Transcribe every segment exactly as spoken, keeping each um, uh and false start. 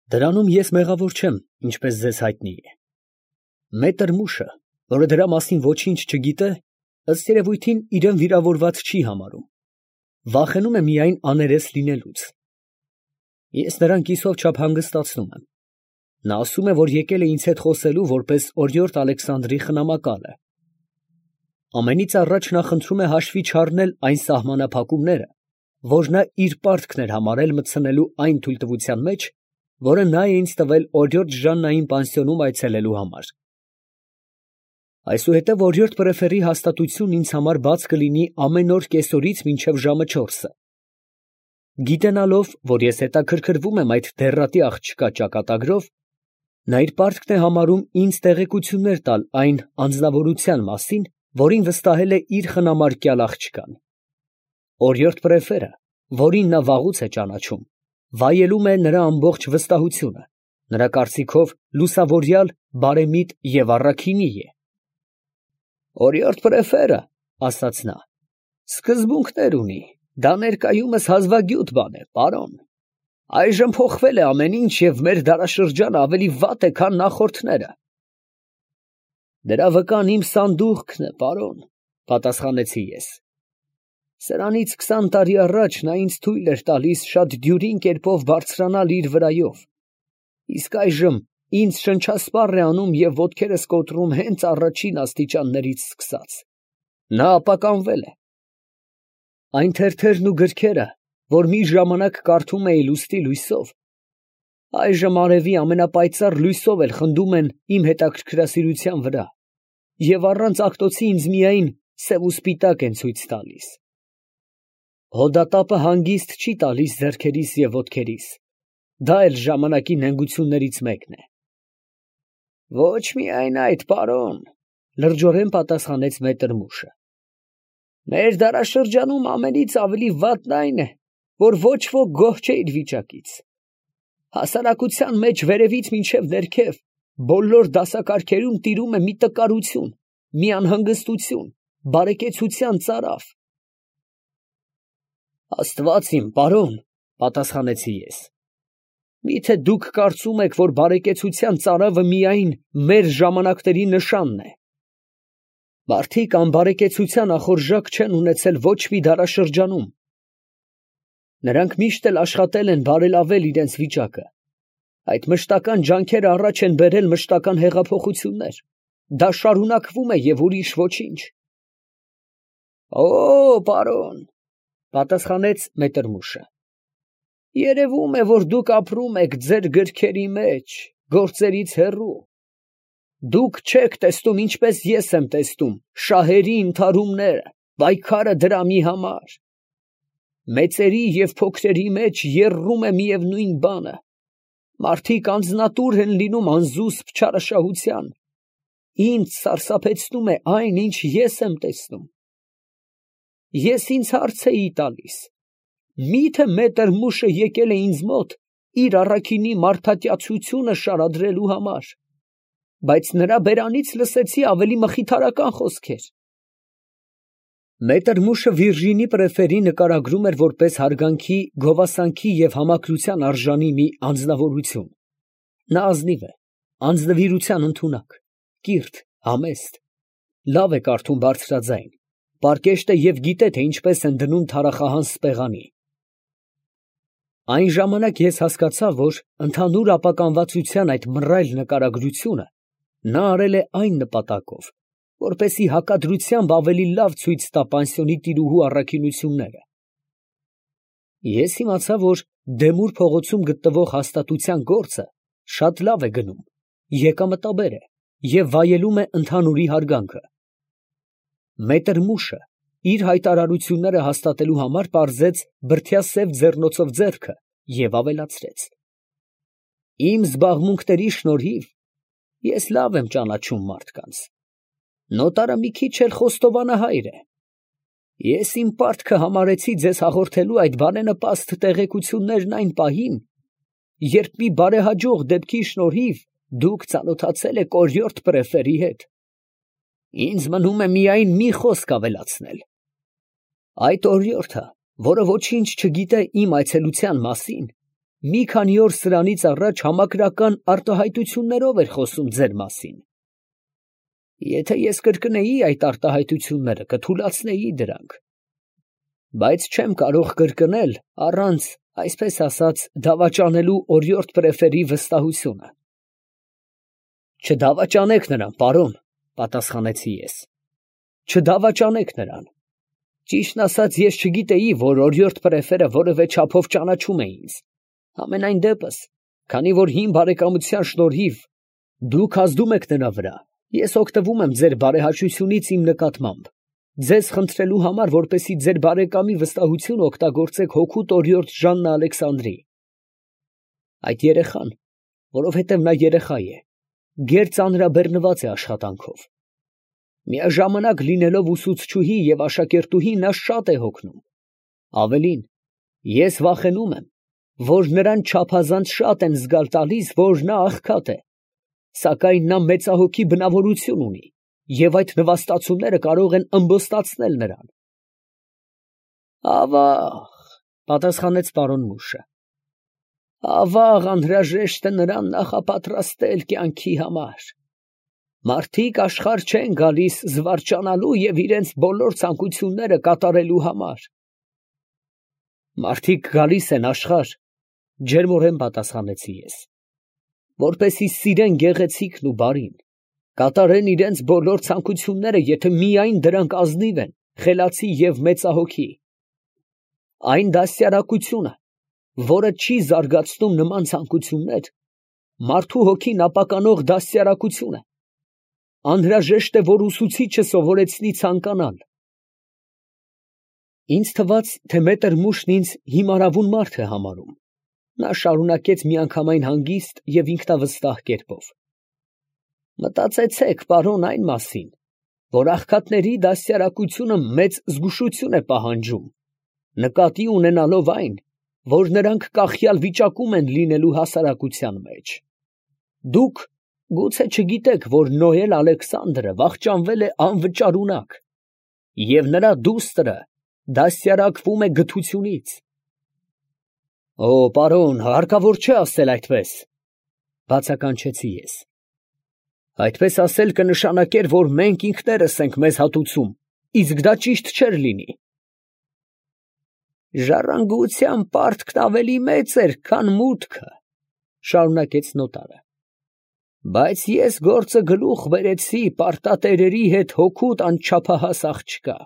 Դրանում ես մեղավոր չեմ, ինչպես ձեզ հայտնի է։ Մետր Մուշը, որը դրա մասին ոչինչ չգիտե, ըստ երևույթին իրան վիրավորված չի համարում, վախենում է միայն աներես լինելուց։ Ես նրան կիսով չափ հանգստացնում եմ։ Նա ասում է, որ եկել է ինձ հետ խոսելու որպես օրիորդ Ալեքսանդրի խնամակալը։ Ամենից առաջ նա խնդրում է հաշվի չառնել այն սահմանափակումները, որ նա իր պարտքն էր համարել մտցնելու այն թույլտվության մեջ, որը նա է ինձ տվել օրիորդ Ժաննային պանսիոնում այցելելու համար։ Այսուհետև օրիորդ պրեֆերի հաստատությունն ինձ համար բաց կլինի ամեն օր կեսօրից մինչև ժամը չորսը։ Գիտենալով, որ ես հետաքրքրվում եմ այդ դեռատի աղջկա ճակատագրով, նա իր պարտքն է համարում ինձ տեղեկություններ տալ այն անձնավորության մասին, որին վստահել է իր խնամարկյալ աղջկան։ Օրիորդ պրեֆերը, որին նա վաղուց է ճանաչում, վայելում է նրա ամբողջ վստահությունը, նրա կարծիքով լուսավորյալ, բարեմիտ և առաքինի է։ «Օրիորդ պրեֆերը, ֊ ասաց նա, ֊ սկզբունքներ ունի, դա ներկայումս հազվագյուտ բան է, պարոն։ Այժմ փոխվել է ամեն ինչ և մեր դարաշրջանը ավելի վատ է, քան նախորդները»։ «Դրա վկան իմ սանդուղքն է, պարոն, ֊ պատասխանեցի ես։ Սրանից քսան տարի առաջ նա ինձ թույլ էր տալիս շատ դյուրին կերպով բարձրանալ իր վրայով, իսկ այժմ ինձ շնչասպառ է անում և ոտքերս կոտրում հենց առաջին աստիճաններից սկսած։ Նա ապականվել է։ Այն թերթերն ու գրքերը, որ մի ժամանակ կարդում էի լուստի լույսով, այժմ արևի ամենապայծառ լույսով էլ խնդում են իմ հետաքրքրասիրության վրա և առանց աղտոցի ինձ միայն սև ու սպիտակ են ցույց տալիս։ Հոդատապը հանգիստ չի տալիս ձեռքերիս և ոտքերիս, դա էլ ժամանակի նենգություններից մեկն է։ Ոչ միայն այդ, պարոն, ֊ լրջորեն պատասխանեց մետր Մուշը։ Մեր դարաշրջանում ամենից ավելի վատն այն է, որ ոչ ոք գոհ չէ իր վիճակից։ Հասարակության մեջ վերևից մինչև ներքև բոլոր դասակարգերում տիրում է մի տկարություն, մի անհանգստություն, բարեկեցության ծարավ։ Աստված իմ, պարոն, ֊ պատասխանեցի ես, միթե դուք կարծում եք, որ բարեկեցության ծարավը միայն մեր ժամանակների նշանն է։ Մարդիկ անբարեկեցության ախորժակ չեն ունեցել ոչ մի դարաշրջանում։ Նրանք միշտ էլ աշխատել են բարելավել իրենց վիճակը։ Այդ մշտական ջանքերը առաջ են բերել մշտական հեղափոխություններ։ Դա շարունակվում է և ուրիշ ոչինչ։ Օ, պարոն, ֊ պատասխանեց մետր Մուշը, երևում է, որ դուք ապրում եք ձեր գրքերի մեջ, գործերից հեռու։ Դուք չեք տեսնում, ինչպես ես եմ տեսնում, շահերի ընդհարումները, պայքարը դրամի համար։ Մեծերի և փոքրերի մեջ եռում է միևնույն բանը։ Մարդիկ անձնատուր են լինում անզուսպ չարաշահության։ Ինձ սարսափեցնում է այն, ինչ ես եմ տեսնում։ Ես ինձ հարց էի տալիս. միթե մետր Մուշը եկել է ինձ մոտ իր առաքինի մարդատյացությունը շարադրելու համար, բայց նրա բերանից լսեցի ավելի մխիթարական խոսքեր։ Մետր Մուշը Վիրջինի պրեֆերի նկարագրում էր որպես հարգանքի, գովասանքի և համակրության արժանի մի անձնավորություն։ Նա ազնիվ է, անձնվիրության ընդունակ, կիրթ, համեստ, լավ է կարդում բարձրաձայն, պարկեշտ է և գիտե, թե ինչպես են դնում թարախահան սպեղանի։ Այն ժամանակ ես հասկացա, որ ընդհանուր ապականվածության այդ մռայլ նկարագրությունը նա արել է այն նպատակով, որպեսզի հակադրությամբ ավելի լավ ցույց տա պանսիոնի տիրուհու առաքինությունները։ Ես իմացա, որ Դեմուր փողոցում գտնվող հաստատության գործը շատ լավ է գնում, եկամտաբեր է և վայելում է ընդհանուրի հարգանքը։ Մետր Մուշը իր հայտարարությունները հաստատելու համար պարզեց բրդյա սև ձեռնոցով ձեռքը և ավելացրեց. Իմ զբաղմունքների շնորհիվ ես լավ եմ ճանաչում մարդկանց։ Նոտարը մի քիչ էլ խոստովանահայր է։ Ես իմ պարտքը համարեցի ձեզ հաղորդելու այդ բարենպաստ տեղեկություններն այն պահին, երբ մի բարեհաջող դեպքի շնորհիվ դուք ծանոթացել եք օրիորդ պրեֆերի հետ։ Ինձ մնում է միայն մի խոսք ավելացնել։ Այդ օրիորդը, որը ոչինչ չգիտե իմ այցելության մասին, մի քանի օր սրանից առաջ համակրական արտահայտություններով էր խոսում ձեր մասին։ Եթե ես կրկնեի այդ արտահայտությունները, կթուլացնեի դրանք, բայց չեմ կարող կրկնել առանց, այսպես ասած, դավաճանելու օրիորդ պրեֆերի վստահությունը։ Չդավաճանեք նրան, պարոն, պատասխանեցի ես։ Չդավաճանեք նրան։ Ճիշտն ասած, ես չգիտեի, որ օրիորդ պրեֆերը որևէ չափով ճանաչում է ինձ։ Համենայն դեպս, քանի որ հին բարեկամության շնորհիվ դուք ազդում եք նրա վրա, ես օգտվում եմ ձեր բարեհաճությունից իմ նկատմամբ, ձեզ խնդրելու համար, որպեսզի ձեր բարեկամի վստահությունը օգտագործեք հօգուտ օրիորդ Ժաննա Ալեքսանդրի։ Այդ երեխան, որովհետև նա երեխա է, գեր ծանրաբեռնված է աշխատանքով։ Միաժամանակ լինելով ուսուցչուհի և աշակերտուհի, նա շատ է հոգնում։ Ավելին, ես վախենում եմ, որ նրան չափազանց շատ են զգալ տալիս, որ նա աղքատ է, սակայն նա մեծահոգի բնավորություն ունի, և այդ նվաստացումները կարող են ըմբոստացնել նրան։ Ավաղ, պատասխանեց պարոն Մուշը, ավաղ անհրաժեշտ է նրան նախապատրաստել կյանքի համար։ Մարդիկ աշխարհ չեն գալիս զվարճանալու և իրենց բոլոր ցանկությունները կատարելու համար։ Մարդիկ գալիս են աշխարհ, ջերմորեն պատասխանեցի ես, որպեսզի սիրեն գեղեցիկն ու բարին, կատարեն իրենց բոլոր ցանկությունները, եթե միայն դրանք ազնիվ են, խելացի և մեծահոգի։ Այն դաստիարակությունը, որը չի զարգացնում նման ցանկություններ, մարդու հոգին ապականող դաստիարակություն է։ Անհրաժեշտ է, որ ուսուցիչը սովորեցնի ցանկանալ։ Ինձ թվաց, թե մետր Մուշն ինձ հիմարավուն մարդ է համարում։ Նա շարունակեց միանգամայն հանգիստ և ինքնավստահ կերպով. Մտածեցեք, պարոն, այն մասին, որ աղքատների դաստիարակությունը մեծ զգուշություն է պահանջում, նկատի ունենալով այն, որ նրանք կախյալ վիճակում են լինելու հասարակության մեջ։ Դուք գուցե չգիտեք, որ Նոել Ալեքսանդրը վախճանվել է անվճարունակ, և նրա դուստրը դաստիարակվում է գթությունից։ Օ, պարոն, հարկավոր չէ ասել այդպես, բացականչեցի ես։ Այդպես ասել կնշանակեր, որ մենք ինքներս ենք մեզ հատուցում, իսկ դա ճիշտ չէր լինի։ Ժառանգության պարտքն ավելի մեծ էր, քան մուտքը, շարունակեց նոտարը, բայց ես գործը գլուխ բերեցի պարտատերերի հետ հօգուտ անչափահաս աղջկա։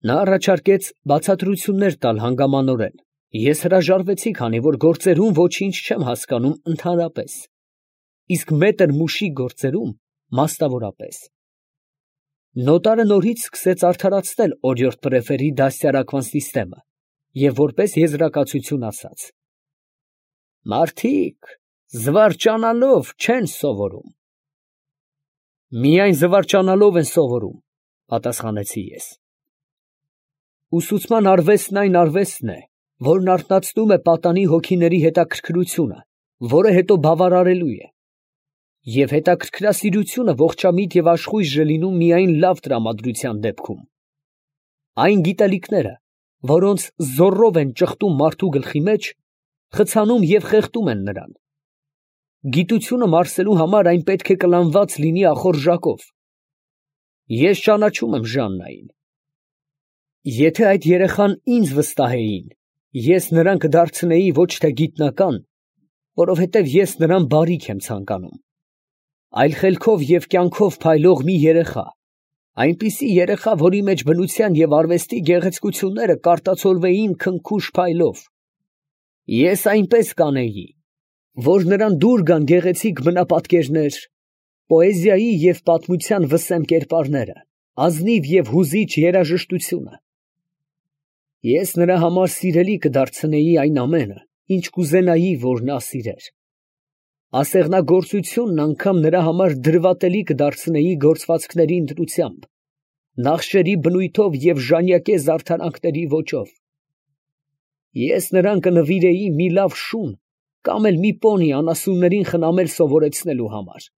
Նա առաջարկեց բացատրություններ տալ հանգամանորեն, ես հրաժարվեցի, քանի որ գործերում ոչինչ չեմ հասկանում ընդհանրապես, իսկ մետր Մուշի գործերում մասնավորապես։ Նոտարը նորից սկսեց արդարացնել օրիորդ պրեֆերի դաստիարակման սիստեմը և որպես եզրակացություն ասաց. Մարդիկ զվարճանալով չեն սովորում։ Միայն զվարճանալով են սովորում, պատասխանեցի ես։ Ուսուցման արվեստն այն արվեստն է, որն արթնացնում է պատանի հոգիների հետաքրքրությունը, որը հետո բավարարելու է։ Եվ հետաքրքրասիրությունը ողջամիտ և աշխույժ է լինում միայն լավ տրամադրության դեպքում։ Այն գիտելիքները, որոնց զոռով են ճխտում մարդու գլխի մեջ, խցանում և խեղդում են նրան։ Գիտությունը մարսելու համար այն պետք է կլանված լինի ախորժակով։ Ես ճանաչում եմ Ժաննային։ Եթե այդ երեխան ինձ վստահեին, ես նրան կդարձնեի ոչ թե գիտնական, որովհետև ես նրան բարիք եմ ցանկանում, այլ խելքով և կյանքով փայլող մի երեխա, այնպիսի երեխա, որի մեջ բնության և արվեստի գեղեցկությունները կարտացոլվեին քնքուշ փայլով։ Ես այնպես կանեի, որ նրան դուր գան գեղեցիկ բնապատկերներ, պոեզիայի և պատմության վսեմ կերպարները, ազնիվ և հուզիչ երաժշտությունը։ Ես նրա համար սիրելի կդարձնեի այն ամենը, ինչ կուզենայի, որ նա սիրեր։ Ասեղնագործությունն անգամ նրա համար դրվատելի կդարձնեի գործվածքների ընտրությամբ, նախշերի բնույթով և ժանյակե զարդարանքների ոճով։ Ես նրան կնվիրեի մի լավ շուն կամ էլ մի պոնի անասուններին խնամել սովորեցնելու համար։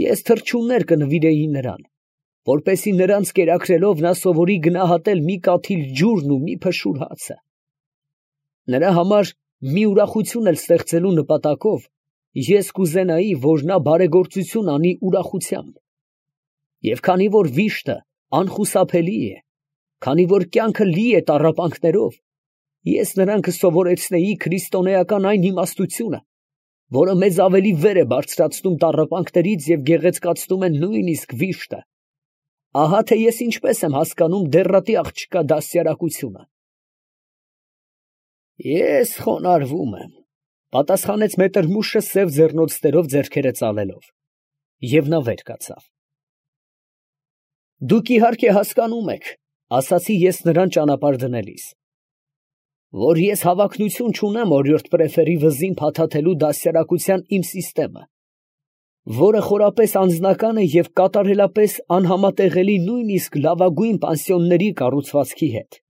Ես թռչուններ կնվիրեի նրան, որպեսզի նրանց կերակրելով նա սովորի գնահատել մի կաթիլ ջուրն ու մի փշուր հացը։ Նրա համար մի ուրախություն էլ ստեղծելու նպատակով ես կուզենայի, որ նա բարեգործություն անի ուրախությամբ, և քանի որ վիշտը անխուսափելի է, քանի որ կյանքը լի է տառապանքներով, ես նրան կսովորեցնեի քրիստոնեական այն իմաստությունը, որը մեզ ավելի վեր է բարձրացնում տառապանքներից և գեղեցկացնում է նույնիսկ վիշտը։ Ահա թե ես ինչպես եմ հասկանում դեռատի աղջկա դաստիարակությունը։ Ես խոնարհվում եմ, ֊ պատասխանեց Մետրմուշը սև ձեռնոցներով ձեռքերը ծալելով, և նա վեր կացավ։ Դուք իհարկե հասկանում եք, ֊ ասացի ես նրան ճանապարհ դնելիս, ֊ որ ես հավակնություն չունեմ օրիորդ պրեֆերի վզին փաթաթելու դաստիարակության իմ սիստեմը, որը խորապես անձնական է և կատարելապես անհամատեղելի նույնիսկ լավագույն պանսիոնների կառուցվածքի հետ։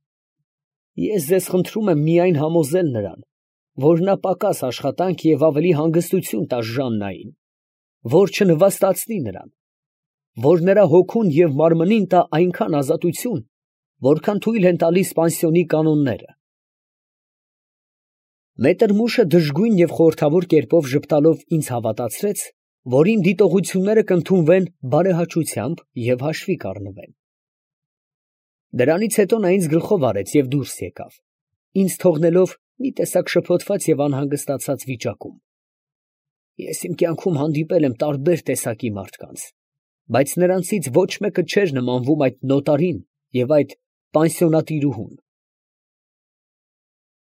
Ես ձեզ խնդրում եմ միայն համոզել նրան, որ նա պակաս աշխատանք և ավելի հանգստություն տա Ժաննային, որ չնվաստացնի նրան, որ նրա հոգուն և մարմնին տա այնքան ազատություն, որքան թույլ են տալիս պանսիոնի կանոնները։ Մետրմուշը դժգույն և խորհրդավոր կերպով ժպտալով ինձ հավատացրեց, որ իմ դիտողությունները կընդունվեն բարեհաճությամբ և հաշվի կառնվեն։ Դրանից հետո նա ինձ գլխով արեց և դուրս եկավ, ինձ թողնելով մի տեսակ շփոթված և անհանգստացած վիճակում։ Ես իմ կյանքում հանդիպել եմ տարբեր տեսակի մարդկանց, բայց նրանցից ոչ մեկը չէր նմանվում այդ նոտարին և այդ պանսիոնատիրուհուն։